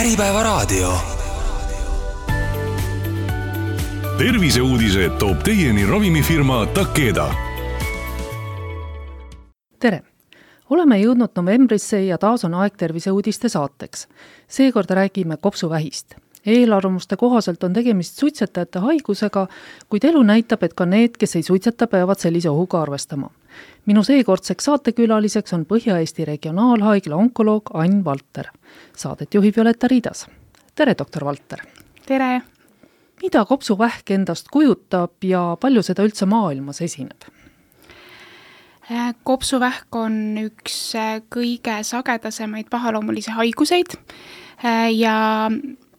Äripäevaraadio. Terviseuudised toob teieni ravimifirma Takeda. Tere! Oleme jõudnud novembrisse ja taas on aeg terviseuudiste saateks. Seekord räägime kopsuvähist. Eelarvamuste kohaselt on tegemist suitsetajate haigusega, kuid elu näitab, et ka need, kes ei suitseta, peavad sellise ohuga arvestama. Minu seekordseks saatekülaliseks on Põhja-Eesti regionaalhaigla onkoloog Ain Valter. Saadet juhib Violeta Riidas. Tere, doktor Valter! Tere! Mida kopsuvähk endast kujutab ja palju seda üldse maailmas esineb? Kopsuvähk on üks kõige sagedasemaid pahaloomulisi haiguseid ja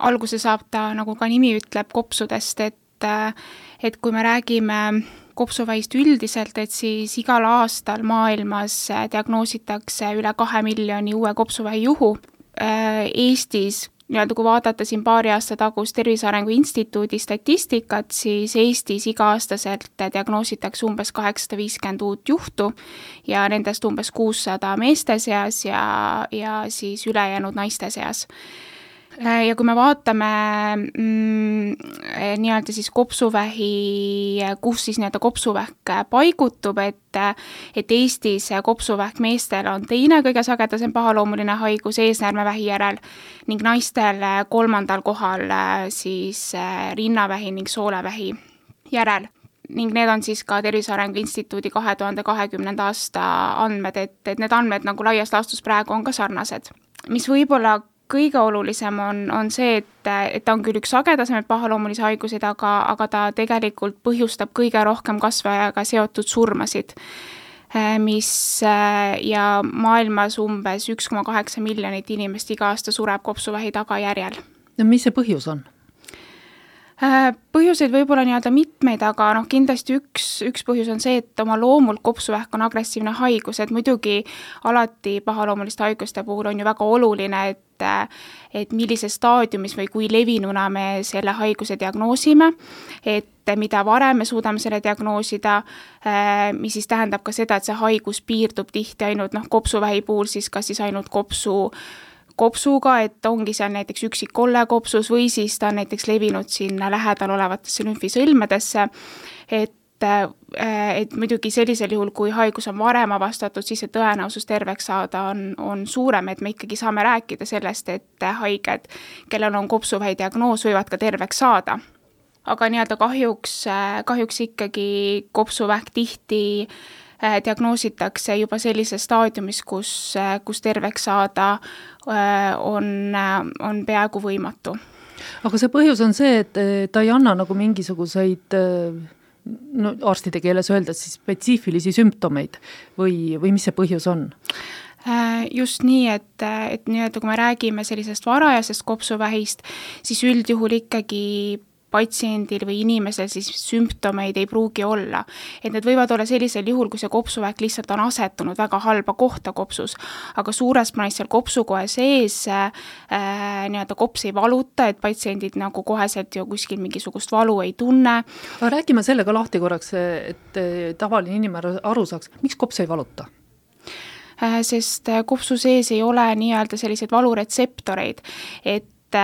alguse saab ta, nagu ka nimi ütleb, kopsudest, et kui me räägime kopsuvähist üldiselt, et siis igal aastal maailmas diagnoositakse üle 2 miljoni uue kopsuvähi juhu. Eestis, kui vaadata siin paari aasta tagust Tervise Arengu Instituudi statistikat, siis Eestis iga-aastaselt diagnoositakse umbes 850 uut juhtu ja nendest umbes 600 meeste seas ja siis ülejäänud naiste seas. Ja kui me vaatame nii-öelda siis kopsuvähi, kus siis nii-öelda kopsuvähk paigutub, et Eestis kopsuvähk meestel on teine kõige sagedasem pahaloomuline haigus eesnäärmevähi järel ning naistel 3. kohal siis rinnavähi ning soolevähi järel. Ning need on siis ka Tervise Arengu Instituudi 2020. aasta andmed, et need andmed nagu laias laastus praegu on ka sarnased. Mis võib-olla kõige olulisem on see, et ta on küll üks sagedasemaid pahaloomulisi haiguseid, aga ta tegelikult põhjustab kõige rohkem kasvajaga seotud surmasid, mis ja maailmas umbes 1,8 miljonit inimest iga aasta sureb kopsuvähi tagajärjel. Ja mis see põhjus on? Põhjuseid võib-olla nii-öelda mitmeid, aga kindlasti üks põhjus on see, et oma loomult kopsuvähk on agressiivne haigus, et muidugi alati pahaloomuliste haiguste puhul on ju väga oluline, et millises staadiumis või kui levinuna me selle haiguse diagnoosime, et mida varem me suudame selle diagnoosida, mis siis tähendab ka seda, et see haigus piirdub tihti ainult kopsuvähi puhul, siis kas siis ainult kopsuga, et ongi seal näiteks üksik kolle kopsus või siis ta on näiteks levinud sinna lähedal olevatesse lümfisõlmedesse, et muidugi sellisel juhul, kui haigus on varem avastatud, siis see tõenäosus terveks saada on suurem, et me ikkagi saame rääkida sellest, et haiged, kellel on kopsuvähi diagnoos, võivad ka terveks saada. Aga nii-öelda kahjuks ikkagi kopsuvähk tihti diagnoositakse juba sellises staadiumis, kus terveks saada on peaaegu võimatu. Aga see põhjus on see, et ta ei anna nagu mingisuguseid arstide keeles öeldes siis spetsiifilisi sümptomeid või mis see põhjus on? Just nii, et nii-öelda kui me räägime sellisest varajasest kopsuvähist, siis üldjuhul ikkagi patsiendil või inimesel siis sümptomeid ei pruugi olla. Et need võivad olla sellisel juhul, kui see kopsuvähk lihtsalt on asetunud väga halba kohta kopsus, aga suures plaanis seal kopsukoe sees nii-öelda kops ei valuta, et patsiendid nagu koheselt ju kuskil mingisugust valu ei tunne. Aga räägime sellega lahti korraks, et tavaline inimene aru saaks, miks kops ei valuta? Sest kopsu sees ei ole nii-öelda selliseid valuretseptoreid, et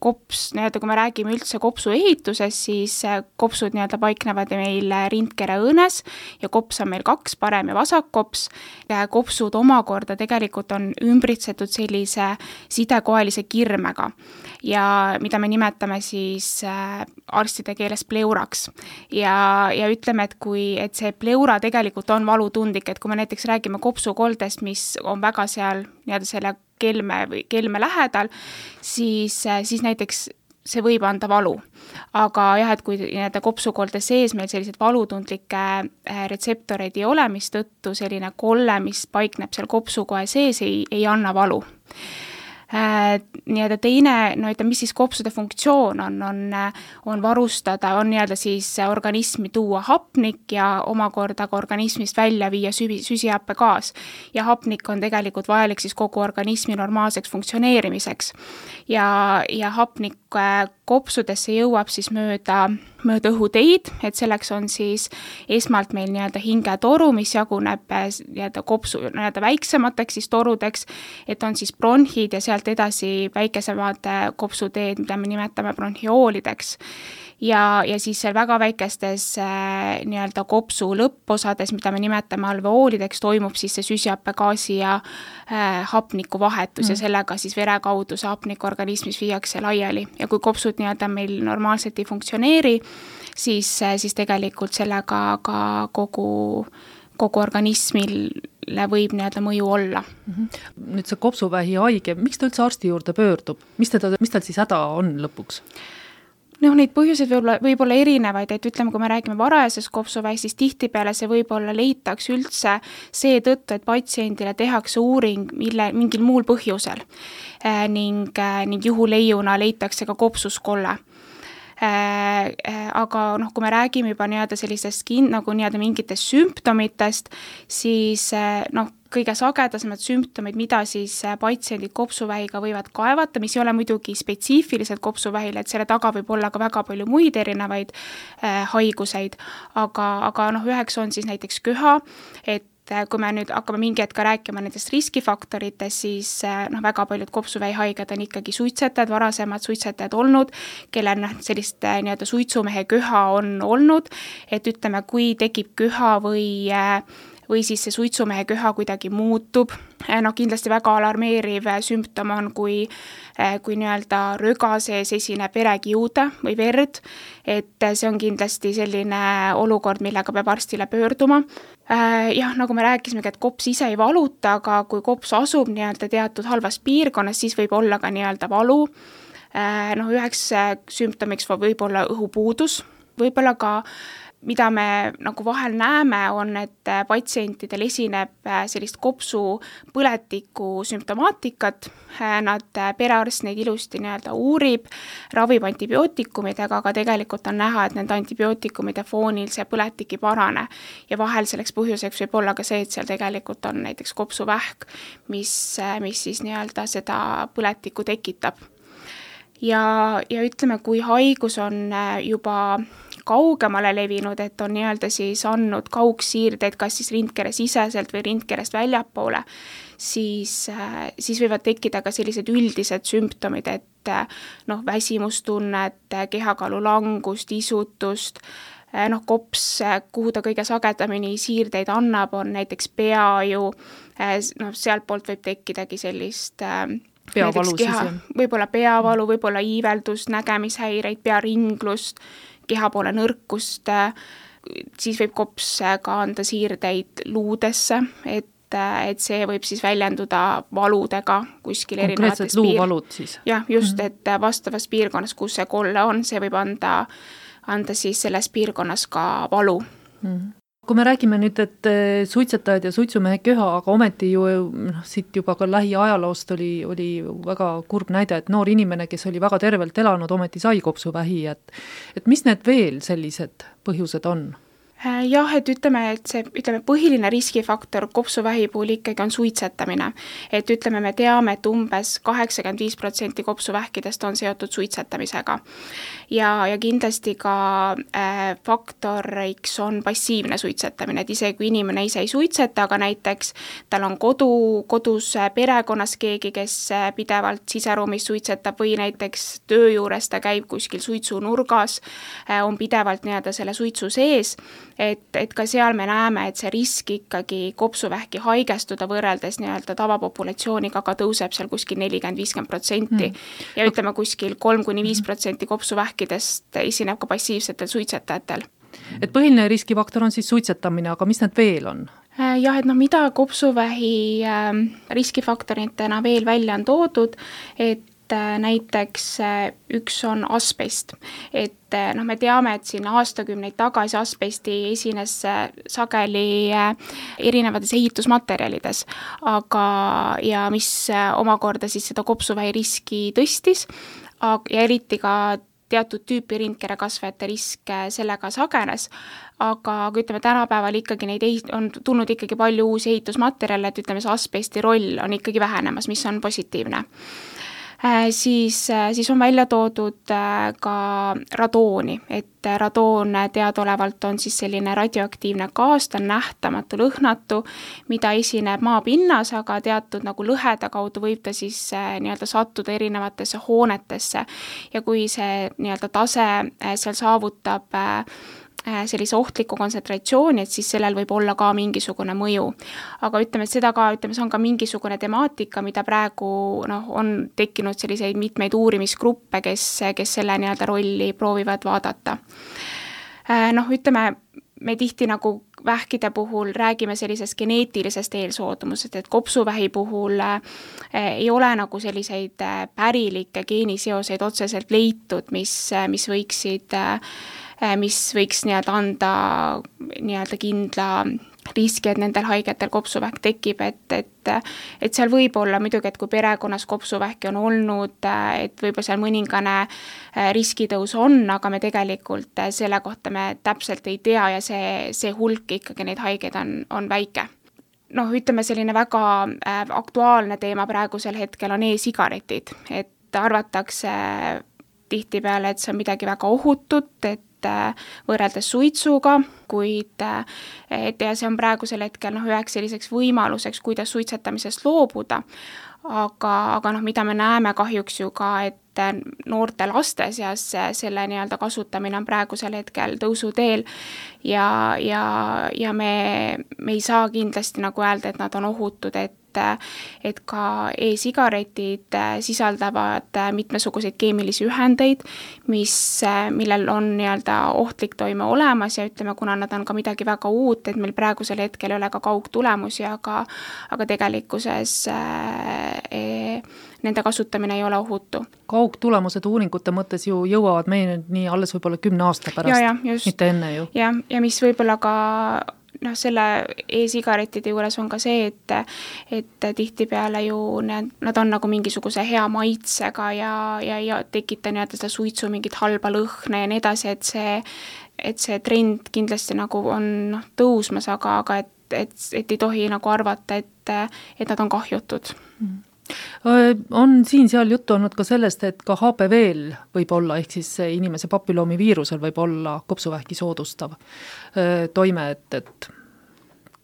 kops, kui me räägime üldse kopsu ehituses, siis kopsud paiknevad meil rindkere õõnes ja kops on meil 2, parem ja vasak kops. Kopsud omakorda tegelikult on ümbritsetud sellise sidekoelise kirmega ja mida me nimetame siis arstide keeles pleuraks. Ja ütleme, et see pleura tegelikult on valutundlik, et kui me näiteks räägime kopsukoldest, mis on väga seal selle kelme lähedal, siis näiteks see võib anda valu. Aga jah, et kui kopsukolde sees meil sellised valutundlikke retseptoreid ei ole, mis tõttu selline kolle, mis paikneb seal kopsukoe sees, ei anna valu. Teine, mis siis kopsude funktsioon on varustada, on siis organismi tuua hapnik ja omakorda ka organismist välja viia süsihappegaas. Ja hapnik on tegelikult vajalik siis kogu organismi normaalseks funktsioneerimiseks. Ja hapnik kopsudesse jõuab siis mööda õhuteid, et selleks on siis esmalt meil nii-öelda hingetoru, mis jaguneb nii-öelda kopsu nii-öelda väiksemateks siis torudeks, et on siis bronhid ja sealt edasi väikesemad kopsuteed, mida me nimetame bronhioolideks. Ja siis seal väga väikestes nii-öelda kopsu lõpposades, mida me nimetame alveoolideks, toimub siis see süsihappegaasi ja hapniku vahetus ja sellega siis vere kaudu see hapnik organismis viiakse laiali. Ja kui kopsud nii-öelda meil normaalselt ei funktsioneeri, siis tegelikult sellega ka kogu organismile võib nii-öelda mõju olla. Nüüd see kopsuvähi haige, miks ta üldse arsti juurde pöördub? Mis tal siis häda on lõpuks? Neid põhjuseid võib olla erinevaid, et ütleme, kui me räägime varajasest kopsuvähist, siis tihtipeale see võib-olla leitakse üldse seetõttu, et patsiendile tehakse uuring mingil muul põhjusel ning juhuleiuna leitakse ka kopsuskolle. Aga kui me räägime juba nii-öelda sellistest nagu nii-öelda mingitest sümptomitest, siis kõige sagedasemad sümptomid, mida siis patsiendid kopsuvähiga võivad kaevata, mis ei ole muidugi spetsiifiliselt kopsuvähile, et selle taga võib olla ka väga palju muid erinevaid haiguseid, aga üheks on siis näiteks köha, et kui me nüüd hakkame mingi hetk rääkima nendest riskifaktoritest, siis väga paljud kopsuvähi haiged on ikkagi suitsetajad, varasemad suitsetajad olnud, kellel sellist nii-öelda suitsumehe köha on olnud, et ütleme, kui tekib köha või siis see suitsumehe köha kuidagi muutub. Kindlasti väga alarmeeriv sümptom on, kui nii-öelda röga sees esineb verekiude või verd, et see on kindlasti selline olukord, millega peab arstile pöörduma. Nagu me rääkisimegi, et kops ise ei valuta, aga kui kops asub nii-öelda teatud halvas piirkonnas, siis võib olla ka nii-öelda valu. Üheks sümptomiks võib olla õhupuudus, võib-olla ka mida me nagu vahel näeme, on, et patsientidel esineb sellist kopsu põletiku sümptomaatikat. Perearst neid ilusti nii-öelda uurib, ravib antibiootikumidega, aga tegelikult on näha, et nende antibiootikumide foonil see põletik ei parane. Ja vahel selleks põhjuseks võib olla ka see, et seal tegelikult on näiteks kopsuvähk, mis siis nii-öelda seda põletikku tekitab. Ja ütleme, kui haigus on juba kaugemale levinud, et on nii-öelda siis andnud kaugsiirdeid, kas siis rindkere siseselt või rindkerest väljapoole, siis võivad tekkida ka sellised üldised sümptomid, et väsimustunnet, kehakaalu langust, isutust, kops, kuhu ta kõige sagedamini siirdeid annab, on näiteks peaju, sealt poolt võib tekkidagi sellist peavalu võib-olla peavalu, võib-olla iiveldust, nägemishäireid, pearinglust, keha poole nõrkust, siis võib kops ka anda siirdeid luudesse, et see võib siis väljenduda valudega kuskil konkreetselt luuvalud siis? Jah, just, et vastavas piirkonnas, kus see kolle on, see võib anda siis selles piirkonnas ka valu. Kui me räägime nüüd, et suitsetajad ja suitsumehe köha, aga ometi ju siit juba ka lähiajaloost oli väga kurb näide, et noor inimene, kes oli väga tervelt elanud, ometi sai kopsuvähi, et mis need veel sellised põhjused on? Jah, et ütleme põhiline riskifaktor kopsuvähi puhul ikkagi on suitsetamine. Et ütleme, me teame, et umbes 85% kopsuvähkidest on seotud suitsetamisega. Ja kindlasti ka faktoriks on passiivne suitsetamine, et isegi kui inimene ise ei suitseta, aga näiteks tal on kodus perekonnas keegi, kes pidevalt siseruumis suitsetab või näiteks töö juures ta käib kuskil suitsunurgas, on pidevalt nii-öelda selle suitsu sees, et ka seal me näeme, et see risk ikkagi kopsuvähki haigestuda võrreldes nii-öelda tavapopulatsiooniga aga tõuseb seal kuskil 40-50%. Ja ütleme kuskil 3-5% kopsuvähkidest esineb ka passiivsetel suitsetajatel. Et põhiline riskifaktor on siis suitsetamine, aga mis need veel on? Jah, et mida kopsuvähi riskifaktoritena veel välja on toodud, et näiteks üks on asbest, et me teame, et siin aastakümneid tagasi asbesti esines sageli erinevates ehitusmaterjalides, ja mis omakorda siis seda kopsuvähi riski tõstis ja eriti ka teatud tüüpi rindkere kasvajate risk sellega sagenes, aga ütleme, tänapäeval ikkagi on tulnud ikkagi palju uusi ehitusmaterjale, et ütleme, see asbesti roll on ikkagi vähenemas, mis on positiivne. Siis on välja toodud ka radooni, et radoon teadaolevalt on siis selline radioaktiivne gaas, ta on nähtamatu, lõhnatu, mida esineb maapinnas, aga teatud nagu lõhede kaudu võib ta siis nii-öelda sattuda erinevatesse hoonetesse ja kui see nii-öelda tase seal saavutab sellise ohtliku kontsentratsiooni, et siis sellel võib olla ka mingisugune mõju. Aga ütleme, et seda ka, see on ka mingisugune temaatika, mida praegu on tekkinud selliseid mitmeid uurimisgruppe, kes selle nii-öelda rolli proovivad vaadata. Ütleme, me tihti nagu vähkide puhul räägime sellisest geneetilisest eelsoodumusest, et kopsuvähi puhul ei ole nagu selliseid pärilikke geeniseoseid otseselt leitud, mis võiks nii-öelda anda nii-öelda kindla riski, et nendel haigetel kopsuvähk tekib, et seal võib olla muidugi, et kui perekonnas kopsuvähki on olnud, et võib-olla seal mõningane riskitõus on, aga me tegelikult selle kohta me täpselt ei tea ja see hulk ikkagi neid haigeid on väike. Ütleme, selline väga aktuaalne teema praegusel hetkel on e-sigaretid, et arvatakse tihtipeale, et see on midagi väga ohutut, et võrreldes suitsuga, kuid ja see on praegusel hetkel üheks selliseks võimaluseks, kuidas suitsetamisest loobuda, aga mida me näeme kahjuks ju ka, et noorte laste seas selle nii-öelda kasutamine on praegusel hetkel tõusuteel ja me ei saa kindlasti nagu öelda, et nad on ohutud, et ka e-sigaretid sisaldavad mitmesuguseid keemilisi ühendeid, millel on nii-öelda ohtlik toime olemas ja ütleme, kuna nad on ka midagi väga uut, et meil praegusel hetkel ei ole ka kaugtulemusi, aga tegelikkuses nende kasutamine ei ole ohutu. Kaugtulemused uuringute mõttes ju jõuavad meie nii alles võib-olla 10 aasta pärast, mitte enne ju. Ja mis võib-olla ka selle e-sigaretide juures on ka see, et tihtipeale ju nad on nagu mingisuguse hea maitsega ja tekita nii-öelda seda suitsu mingit halba lõhna ja nii edasi, et see trend kindlasti nagu on tõusmas, aga et ei tohi nagu arvata, et nad on kahjutud. On siin-seal juttu olnud ka sellest, et ka HPV-l võib olla, ehk siis inimese papilloomiviirusel võib olla kopsuvähki soodustav toime, et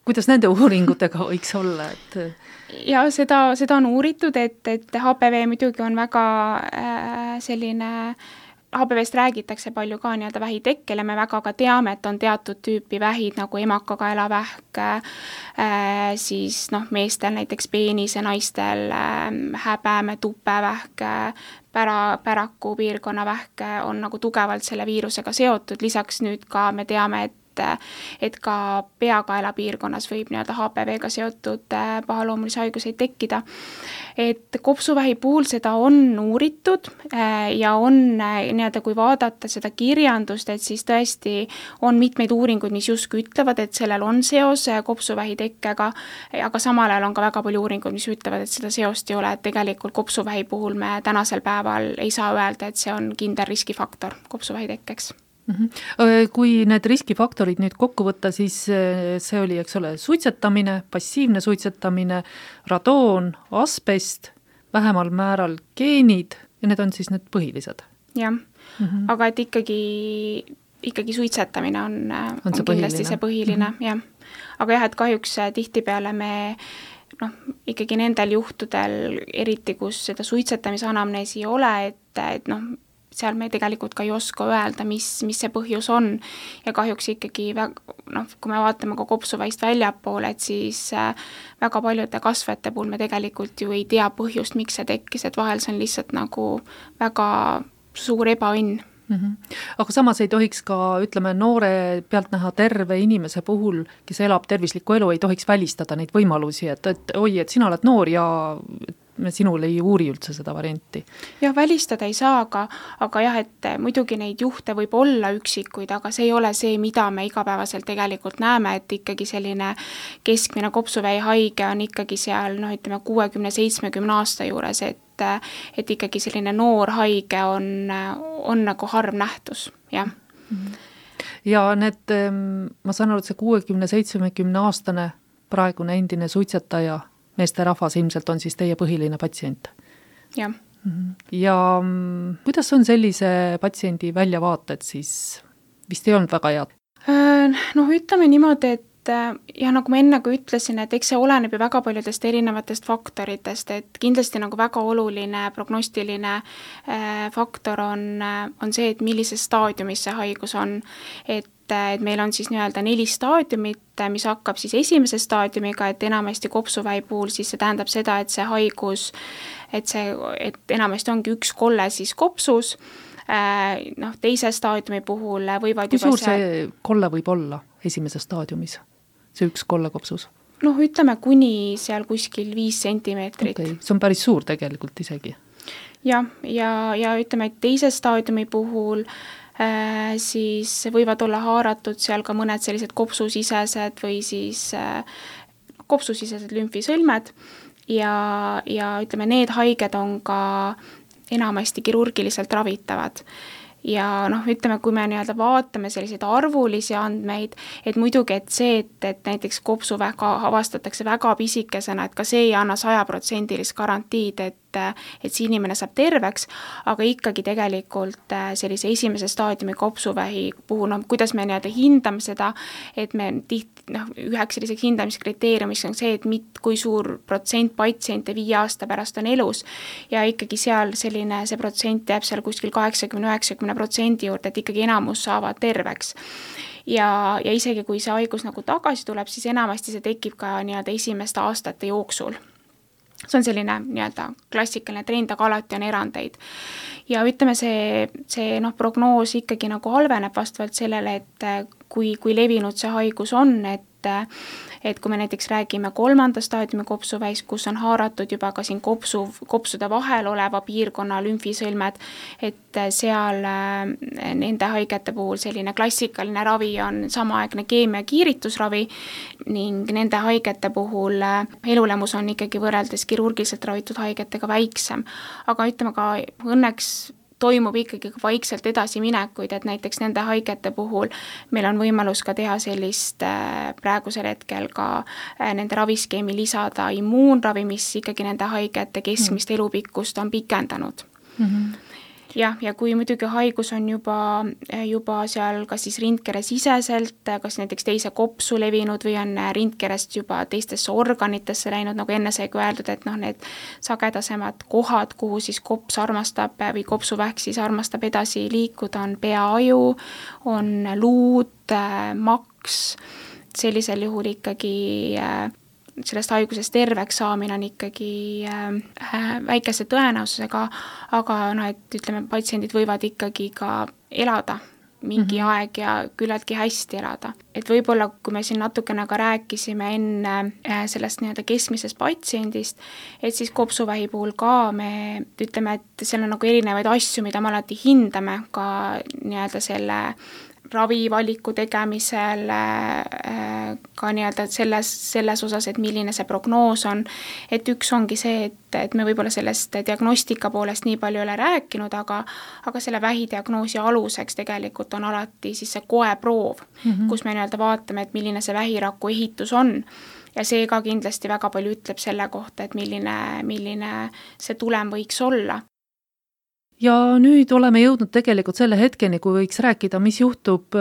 kuidas nende uuringutega võiks olla? Ja seda on uuritud, et HPV muidugi on väga selline HPV-st räägitakse palju ka nii-öelda vähitekkel ja me väga ka teame, et on teatud tüüpi vähid nagu emakakaelavähk, siis meestel näiteks peenise, naistel häbeme, tupevähk, päraku piirkonna vähk on nagu tugevalt selle viirusega seotud, lisaks nüüd ka me teame, et ka peakaela piirkonnas võib nii-öelda HPV-ga seotud pahaloomulisi haiguseid tekkida. Et kopsuvähi puhul seda on uuritud ja on nii-öelda, kui vaadata seda kirjandust, et siis tõesti on mitmeid uuringuid, mis justkui ütlevad, et sellel on seos kopsuvähi tekkega, aga samal ajal on ka väga palju uuringuid, mis ütlevad, et seda seost ei ole, et tegelikult kopsuvähi puhul me tänasel päeval ei saa öelda, et see on kindel riskifaktor kopsuvähi tekkeks. Kui need riskifaktorid nüüd kokku võtta, siis see oli, eks ole, suitsetamine, passiivne suitsetamine, radoon, asbest, vähemal määral geenid ja need on siis need põhilised. Jah, aga et ikkagi suitsetamine on kindlasti see põhiline, jah. Aga jah, et kahjuks tihtipeale me ikkagi nendel juhtudel, eriti kus seda suitsetamise anamneesi ei ole, et seal me tegelikult ka ei oska öelda, mis see põhjus on ja kahjuks ikkagi, kui me vaatame ka kopsuvähist väljapoole, et siis väga paljude kasvajate puhul me tegelikult ju ei tea põhjust, miks see tekkis, et vahel see on lihtsalt nagu väga suur ebaõnn. Aga samas ei tohiks ka, ütleme, noore pealt näha terve inimese puhul, kes elab tervislikku elu, ei tohiks välistada neid võimalusi, et oi, et sina oled noor ja me sinul ei uuri üldse seda varianti. Jah, välistada ei saa, aga jah, et muidugi neid juhte võib olla üksikuid, aga see ei ole see, mida me igapäevaselt tegelikult näeme, et ikkagi selline keskmine kopsuvähi haige on ikkagi seal, ütleme 60-70 aasta juures, et ikkagi selline noor haige on nagu harv nähtus, jah. Ja need, ma saan aru, et see 60-70 aastane praegune endine suitsetaja meeste rahvas ilmselt on siis teie põhiline patsient. Jah. Ja kuidas on sellise patsiendi väljavaated siis? Vist ei olnud väga head? Noh, ütleme niimoodi, et ja nagu ma enne ka ütlesin, et eks see oleneb ju väga paljudest erinevatest faktoritest, et kindlasti nagu väga oluline prognostiline faktor on see, et millises staadiumis see haigus on, et meil on siis nii-öelda 4 staadiumit, mis hakkab siis esimese staadiumiga, et enamasti kopsuvähi puhul siis see tähendab seda, et see haigus, et enamasti ongi üks kolle siis kopsus, teise staadiumi puhul võivad kui suur see kolle võib olla esimeses staadiumis? See üks kolle kopsus? Ütleme kuni seal kuskil 5 sentimeetrit. Okay. See on päris suur tegelikult isegi. Ja ütleme, et teise staadiumi puhul siis võivad olla haaratud seal ka mõned sellised kopsusisesed või siis kopsusisesed lümfisõlmed ja ütleme, need haiged on ka enamasti kirurgiliselt ravitavad. Ja ütleme, kui me nii-öelda vaatame selliseid arvulisi andmeid, et muidugi, et see, et näiteks kopsuvähk avastatakse väga pisikesena, et ka see ei anna 100% garantiid, et see inimene saab terveks, aga ikkagi tegelikult sellise esimese staadiumi kopsuvähi puhul, kuidas me nii-öelda hindame seda, et me tihti, üheks selliseks hindamiskriteeriumis on see, et kui suur protsent patsiente 5 aasta pärast on elus ja ikkagi seal see protsent jääb seal kuskil 80-90% juurde, et ikkagi enamus saavad terveks. Ja isegi kui see haigus nagu tagasi tuleb, siis enamasti see tekib ka nii-öelda esimeste aastate jooksul. See on selline nii-öelda klassikaline trend, aga alati on erandeid. Ja ütleme, see prognoos ikkagi nagu halveneb vastavalt sellele, et kui levinud see haigus on, et kui me näiteks räägime 3. staadiumi kopsuvähist, kus on haaratud juba ka siin kopsude vahel oleva piirkonna lümfisõlmed, et seal nende haigete puhul selline klassikaline ravi on samaaegne keemia kiiritusravi ning nende haigete puhul elulemus on ikkagi võrreldes kirurgiliselt ravitud haigetega väiksem. Aga ütleme ka õnneks toimub ikkagi vaikselt edasiminekuid, et näiteks nende haigete puhul meil on võimalus ka teha sellist praegusel hetkel ka nende raviskeemi lisada immuunravi, mis ikkagi nende haigete keskmist elupikkust on pikendanud. Ja kui muidugi haigus on juba seal kas siis rindkere siseselt, kas näiteks teise kopsu levinud või on rindkerest juba teistesse organitesse läinud, nagu enne sai öeldud, et need sagedasemad kohad, kuhu siis kops armastab või kopsuvähk siis armastab edasi liikuda, on peaaju, on luud, maks, sellisel juhul ikkagi sellest haigusest terveks saamine on ikkagi väikese tõenäosusega, aga et ütleme, patsiendid võivad ikkagi ka elada mingi aeg ja küllaltki hästi elada. Et võib-olla, kui me siin natukene ka rääkisime enne sellest nii-öelda keskmisest patsiendist, et siis kopsuvähi puhul ka me ütleme, et seal on nagu erinevaid asju, mida me alati hindame ka nii-öelda selle ravivaliku tegemisel, ka nii-öelda selles osas, et milline see prognoos on, et üks ongi see, et me võib-olla sellest diagnostika poolest nii palju ei ole rääkinud, aga selle vähidiagnoosi aluseks tegelikult on alati siis see koeproov, kus me nii-öelda vaatame, et milline see vähiraku ehitus on. Ja see ka kindlasti väga palju ütleb selle kohta, et milline see tulem võiks olla. Ja nüüd oleme jõudnud tegelikult selle hetkeni, kui võiks rääkida, mis juhtub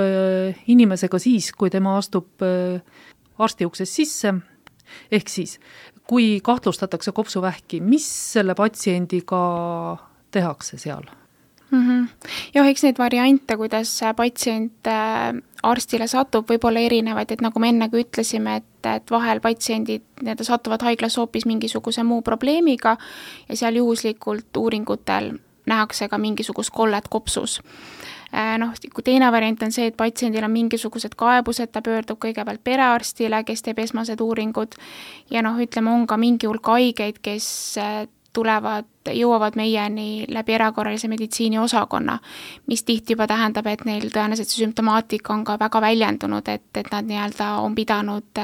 inimesega siis, kui tema astub arsti uksest sisse. Ehk siis, kui kahtlustatakse kopsuvähki, mis selle patsiendiga tehakse seal? Ja eks neid variante, kuidas patsient arstile satub, võib olla erinevaid, et nagu me enne ka ütlesime, et vahel patsiendid satuvad haiglas hoopis mingisuguse muu probleemiga ja seal juhuslikult uuringutel nähakse ka mingisugust kollet kopsus. Kui teine variant on see, et patsiendil on mingisugused kaebused, ta pöördub kõigepealt perearstile, kes teeb esmased uuringud ja ütleme, on ka mingi hulk haigeid, kes jõuavad meieni läbi erakorralise meditsiini osakonna, mis tihti juba tähendab, et neil tõenäoliselt see sümptomaatika on ka väga väljendunud, et nad nii-öelda on pidanud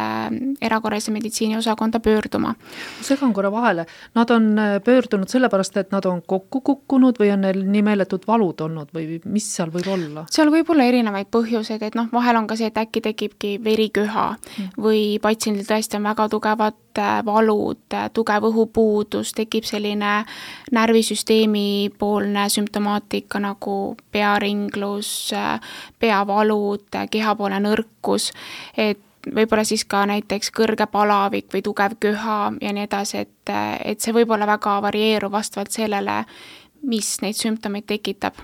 erakorralise meditsiini osakonda pöörduma. Segan korra vahele. Nad on pöördunud sellepärast, et nad on kokku kukkunud või on neil nii meeletud valud olnud või mis seal võib olla? Seal võib olla erinevaid põhjuseid, et vahel on ka see, et äkki tekibki veriköha või patsiendil tõesti on väga tugevad valud, tugev õhupuudus, tekib selline närvisüsteemi poolne sümptomaatika nagu pearinglus, peavalud, kehapoolne nõrkus, et võib-olla siis ka näiteks kõrge palavik või tugev köha ja nii edasi, et see võib olla väga varieeruv vastavalt sellele, mis neid sümptomeid tekitab.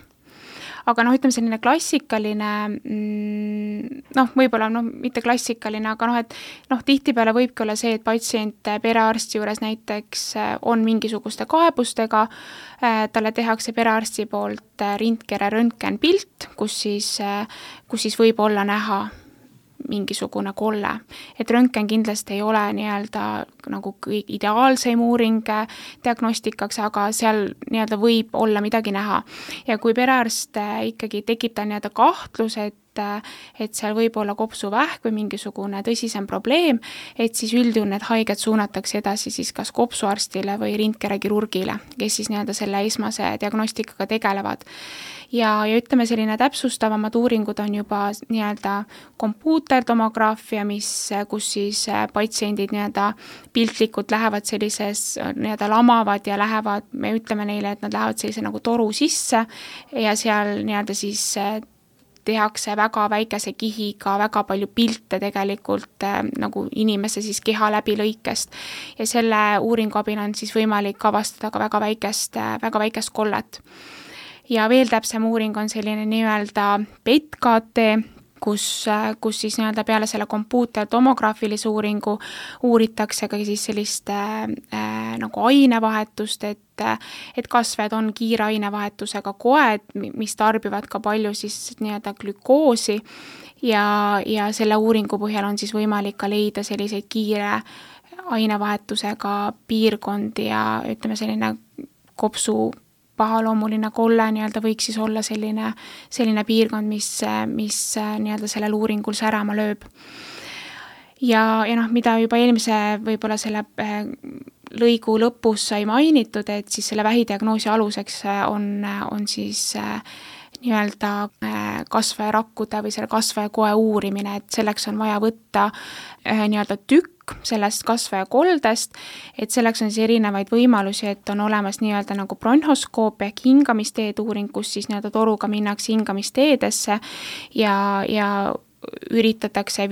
Aga ütleme selline klassikaline, võib-olla mitte klassikaline, aga et tihtipeale võibki olla see, et patsient perearsti juures näiteks on mingisuguste kaebustega, talle tehakse perearsti poolt rindkere röntgenpilt, kus siis võib olla näha mingisugune kolle. Et röntgen kindlasti ei ole nagu ideaalseim uuring diagnostikaks, aga seal võib olla midagi näha. Ja kui perearst ikkagi tekib ta kahtlus, et seal võib olla kopsuvähk või mingisugune tõsisem probleem, et siis üldjuhul need haiged suunatakse edasi siis kas kopsuarstile või rindkerekirurgile, kes siis selle esmase diagnostikaga tegelevad. Ja ütleme selline täpsustavamad uuringud on juba kompuutertomograafia, kus siis patsiendid piltlikult lähevad sellises, lamavad ja lähevad, me ütleme neile, et nad lähevad sellise nagu toru sisse ja seal siis tehakse väga väikese kihiga väga palju pilte tegelikult nagu inimese siis keha läbilõikest ja selle uuringu abil on siis võimalik avastada ka väga väikest kollet. Ja veel täpsem uuring on selline PET-CT, kus siis peale selle kompuutertomograafilise uuringu uuritakse ka siis sellist nagu ainevahetust, et kasvajad on kiire ainevahetusega koed, mis tarbivad ka palju siis glükoosi ja selle uuringu põhjal on siis võimalik ka leida selliseid kiire ainevahetusega piirkondi ja ütleme selline kopsu pahaloomuline kolle võiks siis olla selline piirkond, mis sellel uuringul särama lööb. Ja mida juba eelmise võib-olla selle lõigu lõpus sai mainitud, et siis selle vähidiagnoosi aluseks on siis kasvajarakkude või selle kasvajakoe uurimine, et selleks on vaja võtta tükk sellest kasvajakoldest, et selleks on siis erinevaid võimalusi, et on olemas nagu bronhoskoop ehk hingamisteed uuring, kus siis toruga minnakse hingamisteedesse ja üritatakse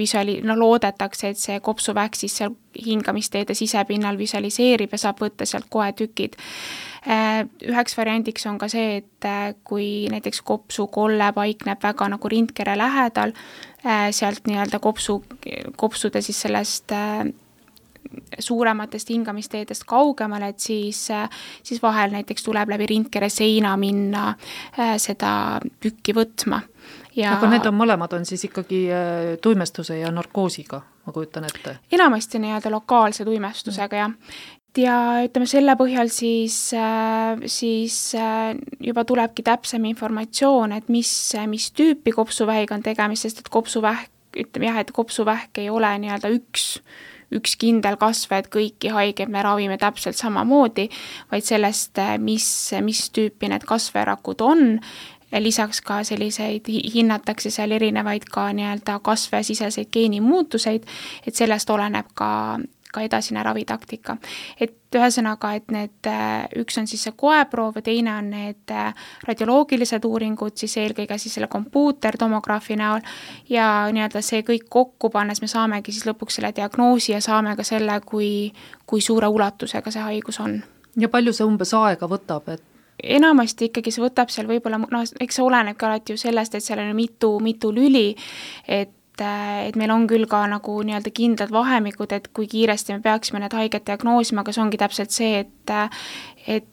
loodetakse, et see kopsuvähk siis seal hingamisteede sisepinnal visualiseerib ja saab võtta sealt koetükid. Üheks variandiks on ka see, et kui näiteks kopsukolle paikneb väga nagu rindkere lähedal, sealt kopsude siis sellest suurematest hingamisteedest kaugemale, et siis vahel näiteks tuleb läbi rindkere seina minna seda tükki võtma. Aga need mõlemad on siis ikkagi tuimestuse ja narkoosiga, ma kujutan ette? Enamasti lokaalse tuimestusega, jah. Ja ütleme selle põhjal siis juba tulebki täpsem informatsioon, et mis tüüpi kopsuvähiga on tegemist, sest et kopsuvähk ei ole üks kindel kasve, et kõiki haigeid me ravime täpselt samamoodi, vaid sellest, mis tüüpi need kasverakud on. Lisaks ka selliseid hinnatakse seal erinevaid ka kasvesiseseid geenimuutuseid, et sellest oleneb ka edasine ravitaktika. Et ühesõnaga, et need üks on siis see koeproov ja teine on need radioloogilised uuringud, siis eelkõige siis selle kompuutertomograafi näol ja see kõik kokku pannes me saamegi siis lõpuks selle diagnoosi ja saame ka selle, kui suure ulatusega see haigus on. Ja palju see umbes aega võtab, et enamasti ikkagi see võtab seal võib-olla, eks see oleneb ka alati ju sellest, et seal on mitu lüli, et meil on küll ka nagu kindlad vahemikud, et kui kiiresti me peaksime need haiged diagnoosima, aga see ongi täpselt see, et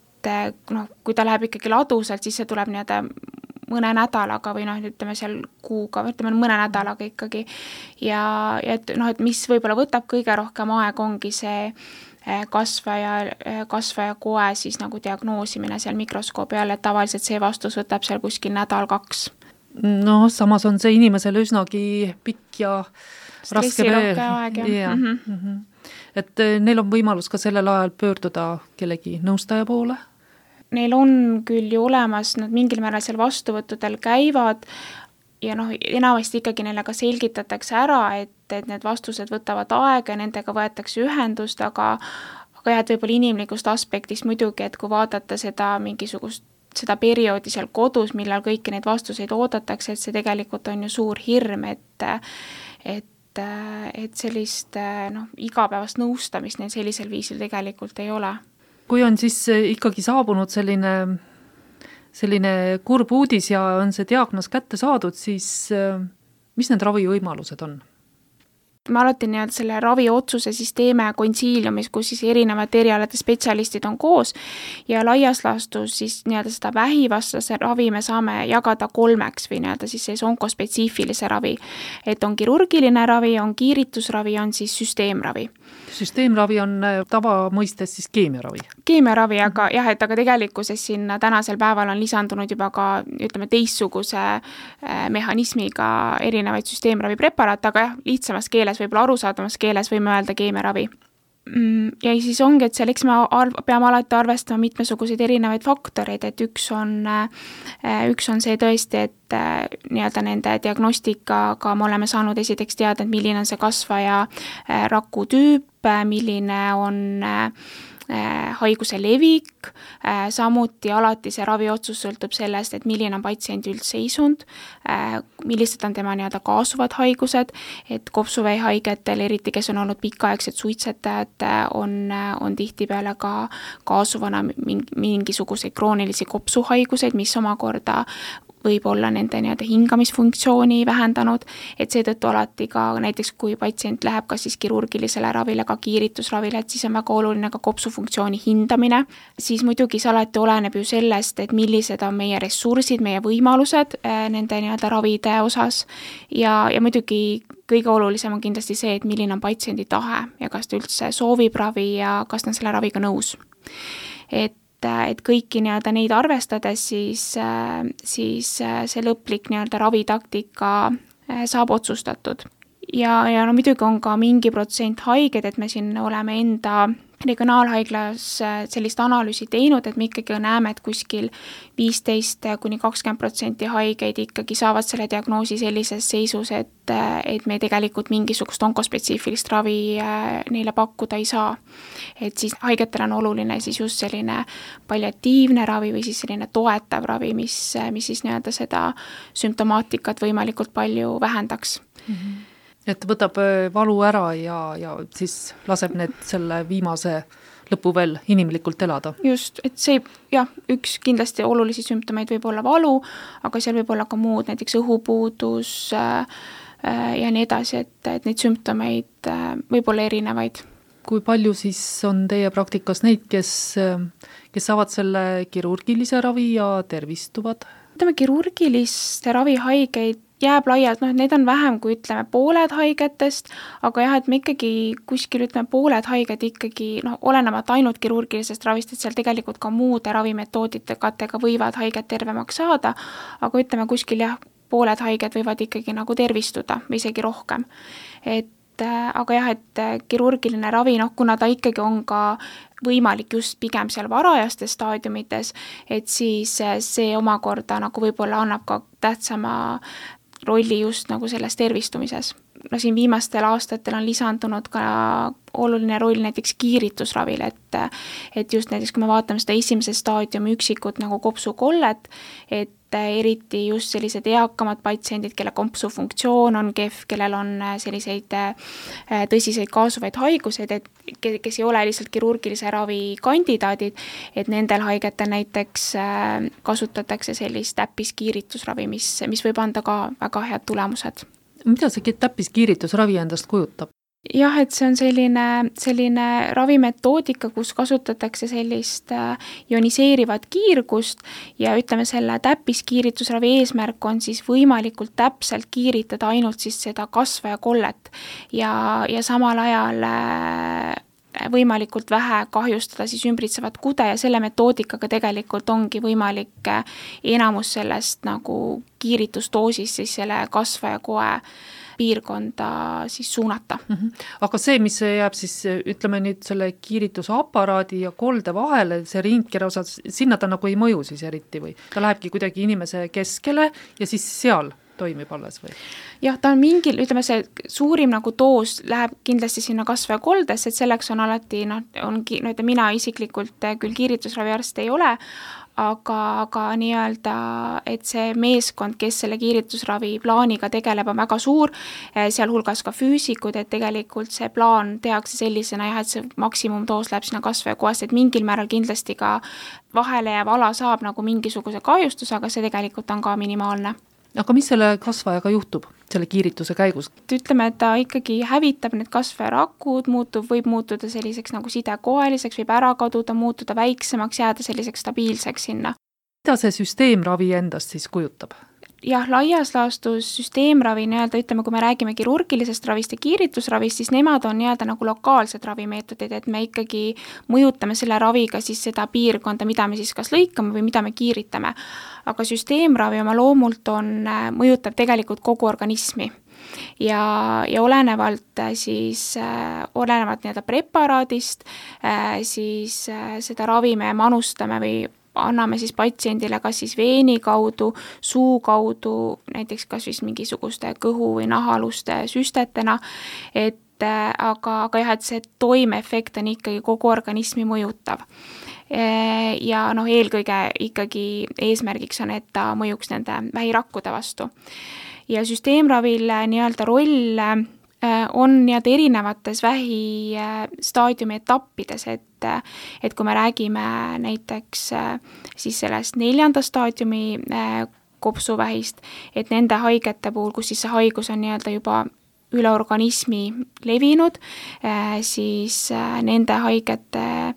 kui ta läheb ikkagi ladusalt, siis see tuleb mõne nädalaga või ütleme seal kuuga, ütleme mõne nädalaga ikkagi. Ja et mis võib-olla võtab kõige rohkem aeg, ongi see kasvaja koe siis nagu diagnoosimine seal mikroskoobi all, et tavaliselt see vastus võtab seal kuskil nädal-2. Samas on see inimesele üsnagi pikk ja raske aeg, jah. Et neil on võimalus ka sellel ajal pöörduda kellegi nõustaja poole? Neil on küll ju olemas, nad mingil määral seal vastuvõttudel käivad ja enamasti ikkagi neile ka selgitatakse ära, et need vastused võtavad aega ja nendega võetakse ühendust, aga aga jah, et võib-olla inimlikust aspektist muidugi, et kui vaadata seda seda perioodi seal kodus, millal kõiki neid vastuseid oodatakse, et see tegelikult on ju suur hirm, et sellist igapäevast nõustamist neil sellisel viisil tegelikult ei ole. Kui on siis ikkagi saabunud selline kurb uudis ja on see diagnoos kätte saadud, siis mis need ravivõimalused on? Me alati selle raviotsuse siis teeme konsiiliumis, kus siis erinevate erialade spetsialistid on koos ja laias laastus siis seda vähivastase ravi me saame jagada 3 või siis onkospetsiifilise ravi. Et on kirurgiline ravi, on kiiritusravi, on siis süsteemravi. Süsteemravi on tavamõistes siis keemiaravi? Keemiaravi, aga jah, et aga tegelikkuses sinna tänasel päeval on lisandunud juba ka teistsuguse mehhanismiga erinevaid süsteemravi preparaate, aga jah, lihtsamas keeles, võib-olla arusaadamas keeles võime öelda keemiaravi. Ja siis ongi, et selleks me peame alati arvestama mitmesuguseid erinevaid faktoreid, et üks on see tõesti, et nende diagnostikaga me oleme saanud esiteks teada, et milline on see kasvaja raku tüüp, milline on haiguse levik, samuti alati see raviotsus sõltub sellest, et milline on patsiendi üldseisund, millised on tema kaasuvad haigused, et kopsuvähi haigetel, eriti kes on olnud pikaaegsed suitsetajad, on tihtipeale ka kaasuvana mingisuguseid kroonilisi kopsuhaiguseid, mis omakorda võib olla nende hingamisfunktsiooni vähendanud, et seetõttu alati ka näiteks kui patsient läheb kas siis kirurgilisele ravile, ka kiiritusravile, et siis on väga oluline ka kopsufunktsiooni hindamine, siis muidugi see alati oleneb ju sellest, et millised on meie ressursid, meie võimalused nende ravide osas ja muidugi kõige olulisem on kindlasti see, et milline on patsiendi tahe ja kas ta üldse soovib ravi ja kas ta on selle raviga nõus. Et kõiki neid arvestades siis see lõplik ravitaktika saab otsustatud. Ja muidugi on ka mingi protsent haiged, et me siin oleme enda regionaalhaiglas sellist analüüsi teinud, et me ikkagi näeme, et kuskil 15–20% haigeid ikkagi saavad selle diagnoosi sellises seisus, et me tegelikult mingisugust onkospetsiifilist ravi neile pakkuda ei saa. Et siis haigetel on oluline siis just selline palliatiivne ravi või siis selline toetav ravi, mis siis seda sümptomaatikat võimalikult palju vähendaks. Mm-hmm. Et võtab valu ära ja siis laseb need selle viimase lõpu veel inimlikult elada. Just, et see jah, üks kindlasti olulisi sümptomeid võib olla valu, aga seal võib olla ka muud, näiteks õhupuudus ja nii edasi, et neid sümptomeid võib olla erinevaid. Kui palju siis on teie praktikas neid, kes saavad selle kirurgilise ravi ja tervistuvad? Kirurgiliste ravihaigeid jääb laialt, need on vähem kui pooled haigetest, aga jah, et me ikkagi kuskil pooled haiged ikkagi, olenemata ainult kirurgilisest ravist, et seal tegelikult ka muude ravimetooditega võivad haiged tervemaks saada, aga kuskil jah, pooled haiged võivad ikkagi tervistuda või isegi rohkem. Aga jah, et kirurgiline ravi, kuna ta ikkagi on ka võimalik just pigem seal varajastes staadiumites, et siis see omakorda võib-olla annab ka tähtsama rolli just selles tervistumises. Siin viimastel aastatel on lisandunud ka oluline roll näiteks kiiritusravil, et just näiteks kui me vaatame seda esimese staadiumi üksikut kopsukollet, et eriti just sellised eakamad patsiendid, kelle kopsufunktsioon on kehv, kellel on selliseid tõsiseid kaasuvaid haigused, et kes ei ole lihtsalt kirurgilise ravi kandidaadid, et nendel haigetel näiteks kasutatakse sellist täppiskiiritusravi, mis võib anda ka väga head tulemused. Mida see täppiskiiritusravi endast kujutab? Jah, et see on selline ravimetoodika, kus kasutatakse sellist ioniseerivat kiirgust ja selle täppiskiiritusravi eesmärk on siis võimalikult täpselt kiiritada ainult siis seda kasvajakollet ja samal ajal võimalikult vähe kahjustada siis ümbritsevat kude ja selle metoodikaga tegelikult ongi võimalik enamus sellest kiiritusdoosis siis selle kasvajakoe piirkonda siis suunata. Aga see, mis jääb siis, ütleme nüüd selle kiiritusaparaadi ja kolde vahele, see ringkera osas, sinna ta ei mõju siis eriti või? Ta lähebki kuidagi inimese keskele ja siis seal toimib alles või? Jah, ta on mingil, ütleme see suurim nagu doos läheb kindlasti sinna kasvajakoldesse, et selleks on alati, mina isiklikult küll kiiritusraviarst ei ole, aga nii-öelda, et see meeskond, kes selle kiiritusravi plaaniga tegeleb, on väga suur, sealhulgas ka füüsikud, et tegelikult see plaan tehakse sellisena jah, et see maksimumdoos läheb sinna kasvajakohast, et mingil määral kindlasti ka vahele jääv ala saab nagu mingisuguse kahjustuse, aga see tegelikult on ka minimaalne. Aga mis selle kasvajaga juhtub selle kiirituse käigus? Ütleme, et ta ikkagi hävitab need kasvajarakud, võib muutuda selliseks nagu sidekoeliseks, võib ära kaduda, muutuda väiksemaks, jääda selliseks stabiilseks sinna. Mida see süsteemravi endast siis kujutab? Jah, laias laastus süsteemravi nii-öelda, ütleme, kui me räägime kirurgilisest ravist ja kiiritusravist, siis nemad on nii-öelda nagu lokaalsed ravimeetodid, et me ikkagi mõjutame selle raviga siis seda piirkonda, mida me siis kas lõikame või mida me kiiritame. Aga süsteemravi oma loomult mõjutab tegelikult kogu organismi. Ja olenevalt nii-öelda preparaadist, siis seda ravi me manustame või anname siis patsiendile kas siis veeni kaudu, suu kaudu, näiteks kas siis mingisuguste kõhu- või nahaluste süstetena, aga jah, et see toimeefekt on ikkagi kogu organismi mõjutav. Ja eelkõige ikkagi eesmärgiks on, et ta mõjuks nende vähirakkude vastu. Ja süsteemravil nii-öelda roll on nii-öelda erinevates vähistaadiumi etappides, et kui me räägime näiteks siis sellest 4. staadiumi kopsuvähist, et nende haigete puhul, kus siis see haigus on nii-öelda juba üle organismi levinud, siis nende haigete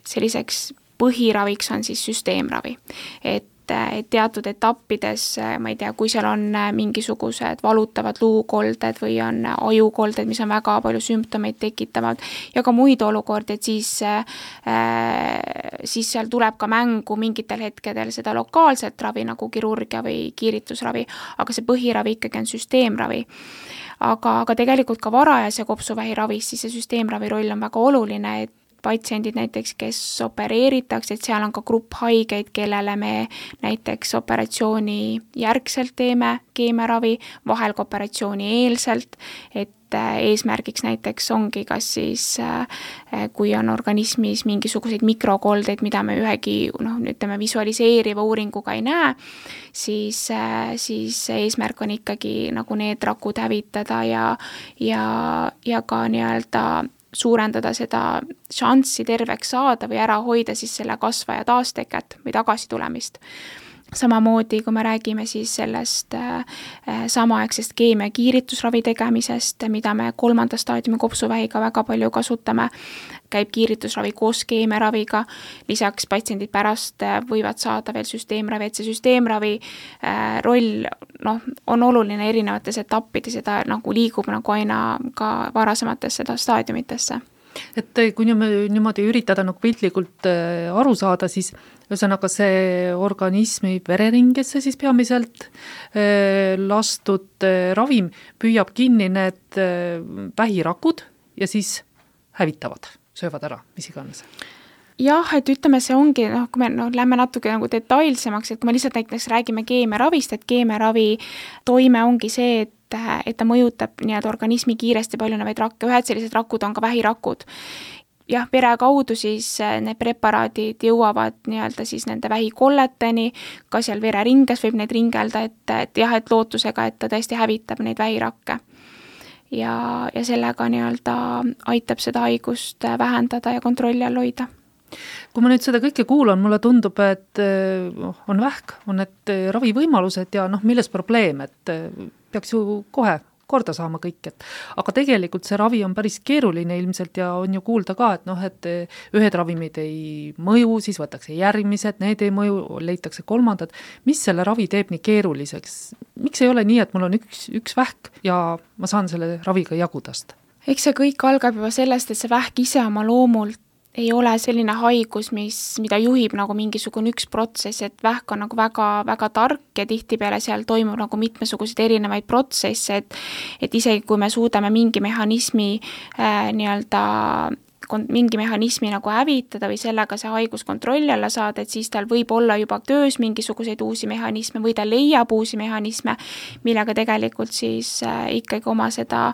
selliseks põhiraviks on siis süsteemravi. Et teatud etappides, ma ei tea, kui seal on mingisugused valutavad luukolded või on ajukolded, mis on väga palju sümptomeid tekitavad ja ka muid olukordi, et siis seal tuleb ka mängu mingitel hetkedel seda lokaalset ravi nagu kirurgia või kiiritusravi, aga see põhiravi ikkagi on süsteemravi. Aga tegelikult ka varajase kopsuvähiravis, siis see süsteemravi roll on väga oluline, et patsiendid näiteks, kes opereeritakse, et seal on ka grupp haigeid, kellele me näiteks operatsiooni järgselt teeme keemiaravi, vahel ka operatsiooni eelselt, et eesmärgiks näiteks ongi kas siis, kui on organismis mingisuguseid mikrokoldeid, mida me ühegi visualiseeriva uuringuga ei näe, siis eesmärk on ikkagi nagu need rakud hävitada ja ka nii-öelda suurendada seda šanssi terveks saada või ära hoida siis selle kasvaja taasteket või tagasitulemist. Samamoodi, kui me räägime siis sellest samaaegsest keemia kiiritusravi tegemisest, mida me 3. staadiumi kopsuvähiga väga palju kasutame, käib kiiritusravi koos keemiaraviga, lisaks patsiendid pärast võivad saada veel süsteemravi, et see süsteemravi roll on oluline erinevates etappides ja ta nagu liigub nagu aina ka varasematesse staadiumitesse. Et kui niimoodi üritada nagu piltlikult aru saada, siis ühesõnaga see organismi vereringesse siis peamiselt lastud ravim püüab kinni need vähirakud ja siis hävitavad, söövad ära, mis iganes. Jah, et ütleme, see ongi, kui me lähme natuke nagu detailsemaks, et kui me lihtsalt näiteks räägime keemiaravist, et keemiaravi toime ongi see, et ta mõjutab nii-öelda organismi kiiresti paljunevaid rakke, ühed sellised rakud on ka vähirakud. Jah, vere kaudu siis need preparaadid jõuavad nii-öelda siis nende vähikolleteni, ka seal vereringes võib neid ringelda, et lootusega, et ta tõesti hävitab neid vähirakke. Ja sellega nii-öelda aitab seda haigust vähendada ja kontrolli all hoida. Kui ma nüüd seda kõike kuulan, mulle tundub, et on vähk, on need ravivõimalused ja milles probleem, et peaks ju kohe korda saama kõik, aga tegelikult see ravi on päris keeruline ilmselt ja on ju kuulda ka, et ühed ravimid ei mõju, siis võtakse järgmised, need ei mõju, leitakse kolmandad. Mis selle ravi teeb nii keeruliseks? Miks ei ole nii, et mul on üks vähk ja ma saan selle raviga jagudast? Eks see kõik algab juba sellest, et see vähk ise oma loomult ei ole selline haigus, mida juhib nagu mingisugune üks protsess, et vähk on nagu väga, väga tark ja tihtipeale seal toimub nagu mitmesuguseid erinevaid protsesse, et isegi kui me suudame mingi mehhanismi nii-öelda mingi mehhanismi nagu hävitada või sellega see haigus kontrolli alla saada, et siis tal võib olla juba töös mingisuguseid uusi mehhanisme või ta leiab uusi mehhanisme, millega tegelikult siis ikkagi oma seda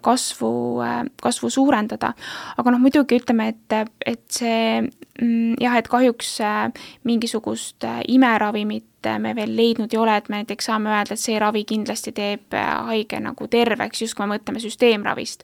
kasvu suurendada. Aga muidugi ütleme, et see jah, et kahjuks mingisugust imeravimit me veel leidnud ei ole, et me näiteks saame öelda, et see ravi kindlasti teeb haige nagu terveks, just kui me mõtleme süsteemravist.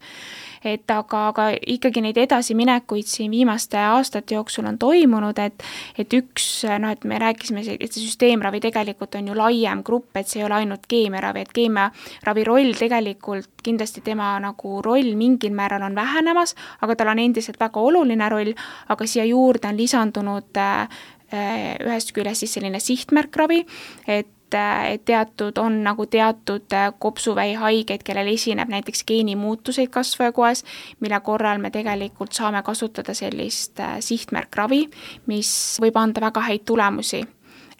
Aga ikkagi neid edasiminekuid siin viimaste aastate jooksul on toimunud, et üks, et me rääkisime, et see süsteemravi tegelikult on ju laiem grupp, et see ei ole ainult keemiaravi, et keemiaravi roll tegelikult, kindlasti tema nagu roll mingil määral on vähenemas, aga tal on endiselt väga oluline roll, aga siia juurde on lisandunud ühest küljest siis selline sihtmärkravi, et on nagu teatud kopsuvähi haigeid, kellel esineb näiteks geenimuutuseid kasvajakoes, mille korral me tegelikult saame kasutada sellist sihtmärkravi, mis võib anda väga häid tulemusi.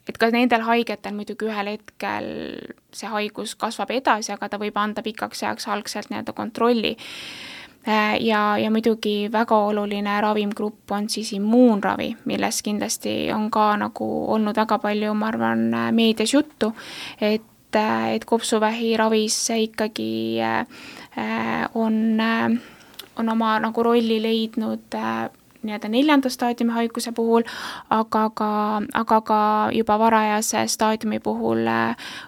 Et ka nendel haigetel muidugi ühel hetkel see haigus kasvab edasi, aga ta võib anda pikaks ajaks algselt kontrolli. Ja muidugi väga oluline ravimgrupp on siis immuunravi, milles kindlasti on ka nagu olnud väga palju, ma arvan, meedias juttu, et kopsuvähi ravis ikkagi on oma nagu rolli leidnud 4. staadiumi haiguse puhul, aga ka juba varajase staadiumi puhul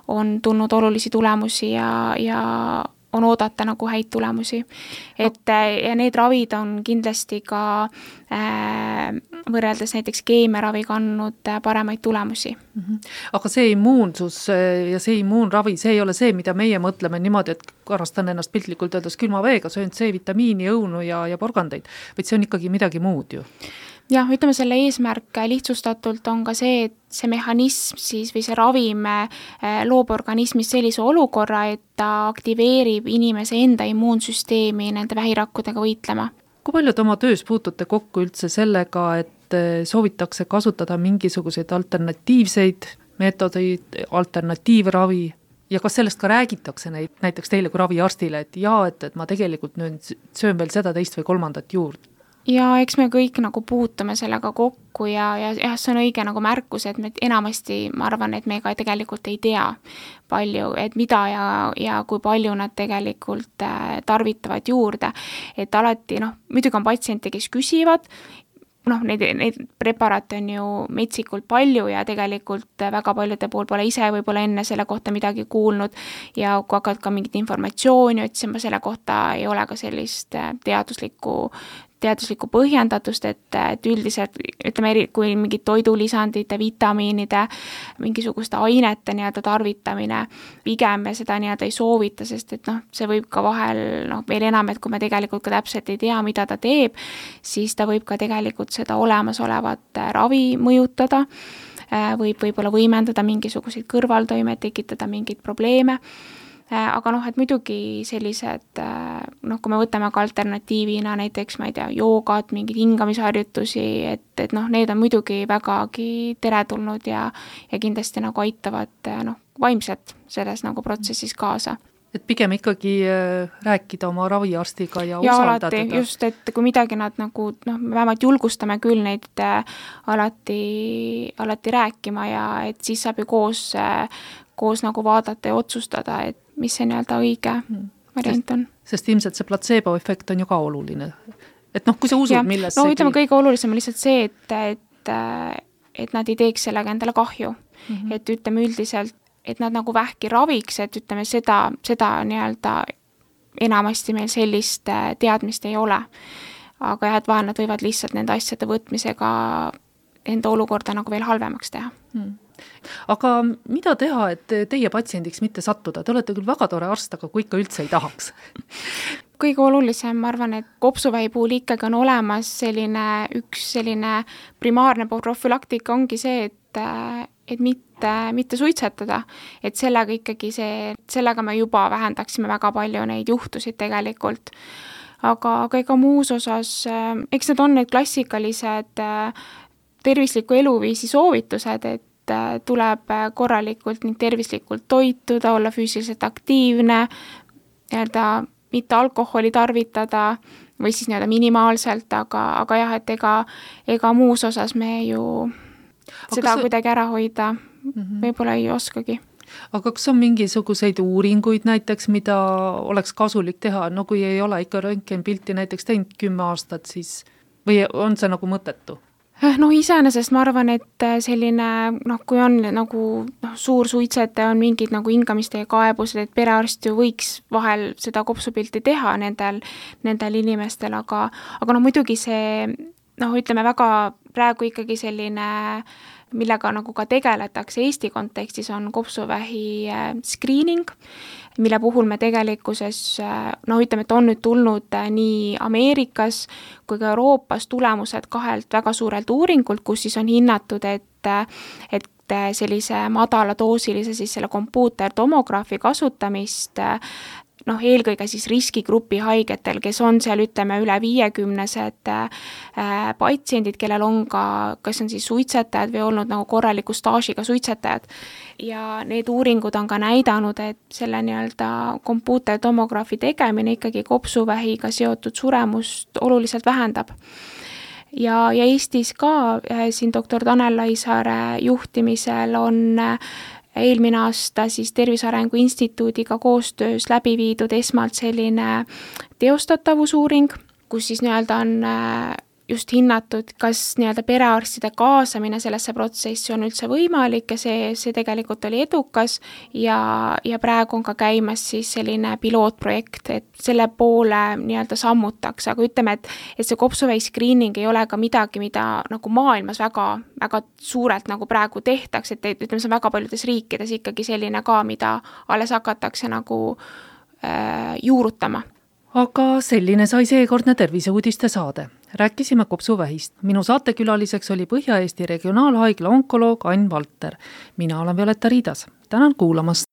on tulnud olulisi tulemusi ja on oodata nagu häid tulemusi. Ja need ravid on kindlasti ka võrreldes näiteks keemiaravi kandnud paremaid tulemusi. Aga see immuunsus ja see immuunravi, see ei ole see, mida meie mõtleme niimoodi, et karastan ennast piltlikult öeldes külma veega, söön C-vitamiini, õunu ja porgandeid, vaid see on ikkagi midagi muud ju. Jah, ütleme selle eesmärk lihtsustatult on ka see, et see mehhanism siis või see ravim loob organismis sellise olukorra, et ta aktiveerib inimese enda immuunsüsteemi nende vähirakkudega võitlema. Kui palju te oma töös puutute kokku üldse sellega, et soovitakse kasutada mingisuguseid alternatiivseid meetodeid, alternatiivravi ja kas sellest ka räägitakse näiteks teile kui raviarstile, et et ma tegelikult nüüd söön veel seda, teist või kolmandat juurde? Ja eks me kõik nagu puutume sellega kokku ja see on õige nagu märkus, et me enamasti, ma arvan, et me ka tegelikult ei tea palju, et mida ja kui palju nad tegelikult tarvitavad juurde. Et alati, muidugi on patsiente, kes küsivad, neid preparaate on ju metsikult palju ja tegelikult väga paljude pool pole ise võib-olla enne selle kohta midagi kuulnud ja kui hakkad ka mingit informatsiooni otsima selle kohta, ei ole ka sellist teaduslikku põhjendatust, et üldiselt, ütleme, kui mingid toidulisandite, vitamiinide, mingisuguste ainete tarvitamine, pigem me seda ei soovita, sest et see võib ka vahel, veel enam, et kui me tegelikult ka täpselt ei tea, mida ta teeb, siis ta võib ka tegelikult seda olemasolevat ravi mõjutada, võib-olla võimendada mingisuguseid kõrvaltoimed, tekitada mingeid probleeme. Aga et muidugi sellised, kui me võtame ka alternatiivina näiteks, ma ei tea, joogat, mingid hingamisharjutusi, et need on muidugi vägagi teretulnud ja kindlasti nagu aitavad vaimselt selles nagu protsessis kaasa. Et pigem ikkagi rääkida oma raviarstiga ja usaldada. Ja alati just, et kui midagi nad nagu, me vähemalt julgustame küll neid alati rääkima ja et siis saab ju koos nagu vaadata ja otsustada, et mis see õige variant on. Sest ilmselt see placebo-efekt on ju ka oluline. Et kui sa usud millessegi... ütleme, kõige olulisem on lihtsalt see, et nad ei teeks sellega endale kahju. Et ütleme üldiselt, et nad nagu vähki raviks, et ütleme seda enamasti meil sellist teadmist ei ole. Aga jah, et vahel nad võivad lihtsalt nende asjade võtmisega enda olukorda nagu veel halvemaks teha. Aga mida teha, et teie patsiendiks mitte sattuda? Te olete küll väga tore arst, aga kui ikka üldse ei tahaks? Kõige olulisem, ma arvan, et kopsuvähi puhul ikkagi on olemas üks primaarne profülaktika ongi see, et mitte suitsetada, et sellega ikkagi sellega me juba vähendaksime väga palju neid juhtusid tegelikult. Aga ega muus osas, eks need on need klassikalised tervisliku eluviisi soovitused, et tuleb korralikult ning tervislikult toituda, olla füüsiliselt aktiivne, mitte alkoholi tarvitada või siis nii-öelda minimaalselt, aga jah, et ega muus osas me ju seda kuidagi ära hoida võib-olla ei oskagi. Aga kas on mingisuguseid uuringuid näiteks, mida oleks kasulik teha, no kui ei ole ikka röntgenpilti näiteks teinud 10 aastat, siis või on see nagu mõttetu? No iseenesest ma arvan, et selline, kui on nagu suur suitsetaja, on mingid nagu hingamiste kaebused, et perearst ju võiks vahel seda kopsupilti teha nendel inimestel, aga muidugi see, ütleme väga praegu ikkagi selline, millega nagu ka tegeletakse Eesti kontekstis, on kopsuvähi screening, mille puhul me tegelikkuses, ütleme, et on nüüd tulnud nii Ameerikas kui ka Euroopas tulemused 2 väga suurelt uuringult, kus siis on hinnatud, et sellise madala doosilise siis selle kompuutertomograafi kasutamist eelkõige siis riskigrupi haigetel, kes on seal, ütleme, üle 50-sed patsiendid, kellel on ka, kas on siis suitsetajad või olnud nagu korraliku staažiga suitsetajad. Ja need uuringud on ka näidanud, et selle nii-öelda kompuutertomograafi tegemine ikkagi kopsuvähiga seotud suremust oluliselt vähendab. Ja Eestis ka siin doktor Tanel Laisaare juhtimisel on eelmine aasta siis Tervise Arengu Instituudiga koostöös läbi viidud esmalt selline teostatavusuuring, kus siis nii-öelda on just hinnatud, kas nii-öelda perearstide kaasamine sellesse protsessi on üldse võimalik ja see tegelikult oli edukas ja praegu on ka käimas siis selline pilootprojekt, et selle poole nii-öelda sammutakse, aga ütleme, et see kopsuvähi screening ei ole ka midagi, mida nagu maailmas väga, väga suurelt nagu praegu tehtaks, et ütleme, see on väga paljudes riikides ikkagi selline ka, mida alles hakatakse nagu juurutama. Aga selline sai seekordne terviseuudiste saade. Rääkisime kopsuvähist. Minu saatekülaliseks oli Põhja-Eesti Regionaalhaigla onkoloog Ain Valter. Mina olen Violeta Riidas. Tänan kuulamast.